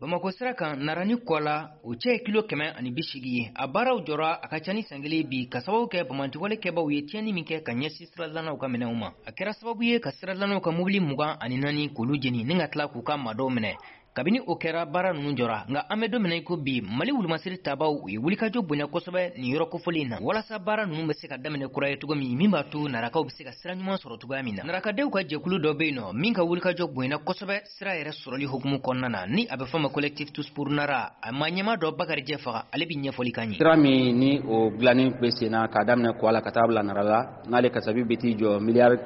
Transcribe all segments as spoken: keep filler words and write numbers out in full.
Bamakɔ sira kan, Nara ni Kɔla, o cɛ ye kilo kɛmɛ ani bi seegin ye. A baaraw jɔra a ka ca ni san kelen bi, ka sababu kɛ banbaanciwale kɛbaw ye tiɲɛni min kɛ ka ɲɛsin siradilannaw ka minɛnw ma. A kɛra sababu ye ka siradilannaw ka mobili mugan ani naani k'olu jeni ni ka tila k'u ka maadɔw minɛ. Kabini o kɛra, baara ninnu jɔra. Nka an bɛ don min na i ko bi, Mali wulumasiri tabaw, u ye wulikajɔ bonya kosɛbɛ nin yɔrɔ kofɔlen in na, walasa baara ninnu bɛ se ka daminɛ kura ye cogo min, min b'a to Narakaw bɛ se ka sira ɲuman sɔrɔ cogoya min na. Narakadenw ka jɛkulu dɔ bɛ yen nɔ min ka wulikajɔ bonyana kosɛbɛ sira yɛrɛ sɔrɔli hukumu kɔnɔna na, ni a bɛ fɔ ma Collectif Tous pour Nara. A maa ɲɛmaa dɔ, Bakarijɛ Faga, ale bɛ ɲɛfɔli kan ye. Sira min ni o dilanni bɛ sen na k'a daminɛ Kɔla ka taa bila Nara la, n'ale kasabi bɛ t'i jɔ miliyari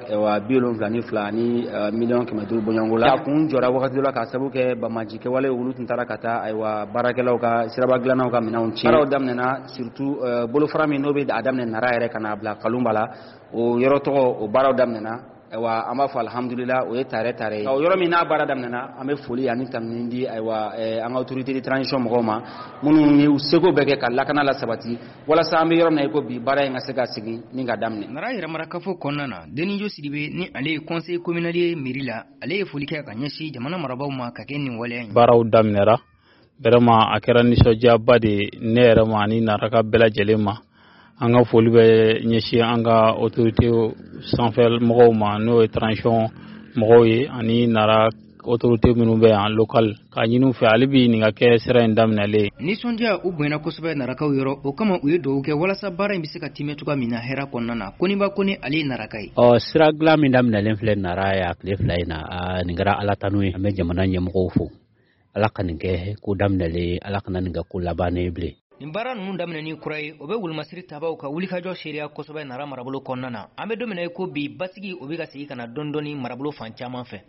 bi wolonwula ni fila ani miliyɔn kɛmɛ duuru bɔɲɔgɔnko la, a kun jɔra wagati dɔ la k'a sababu kɛ banbaanci kɛwale, olu tun taara ka taa, ayiwa, baarakɛlaw ka siraba dilannaw ka minɛnw tiɲɛ. Baaraw daminɛna, surtout bolofara min n'o bɛ a daminɛ Nara yɛrɛ ka n'a bila Kalunba la, o yɔrɔ tɔgɔ, o baaraw daminɛna. Ayiwa, an b'a fɔ alihamudulila, o ye tare tare ye. O yɔrɔ min n'a baara daminɛna, an bɛ foli ani tanuni di, ayiwa, an ka autorité de transition mɔgɔw ma, minnu y'u seko bɛɛ kɛ ka lakana la sabati, walasa an bɛ yɔrɔ min na i ko bi, baara in ka se ka segin ni ka daminɛ. Nara yɛrɛmarakafo kɔnɔna na, Denijo Sidibe, ni ale ye conseil communal ye mairie la, ale ye foli kɛ ka ɲɛsin jamana marabaaw ma ka kɛ nin waleya in. Baaraw daminɛra vraiment, a kɛra nisɔndiyaba de ye ne yɛrɛ ma ani Naraka bɛɛ lajɛlen ma. An ka foli bɛ ɲɛsin an ka autorité sanfɛ mɔgɔw ma, n'o ye transition mɔgɔw ye, ani Nara autorité minnu bɛ yan local, k'a ɲini u fɛ hali bi nin ka kɛ sira in daminɛlen ye. Nisɔndiya u bonyana kosɛbɛ Narakaw yɔrɔ. O kama, u ye dugawu kɛ walasa baara in bɛ se ka timɛ cogoya min na hɛrɛ kɔnɔna na. Koniba Kone, ale ye Naraka ye. Ɔ, sira dilan min daminɛlen filɛ Nara ye a tile fila in na, nin kɛra Ala tanu ye. An bɛ jamana ɲɛmɔgɔw fo. Ala ka nin kɛ ko daminɛlen ye, Ala kana nin kɛ ko labannen ye bilen. Nin baara ninnu daminɛni kura ye, o bɛ wulumasiri tabaw ka wulikajɔ seereya kosɛbɛ Nara marabolo kɔnɔna na. An bɛ don min na i ko bi, basigi o bɛ ka segin ka na dɔɔni dɔɔni marabolo fan caman fɛ.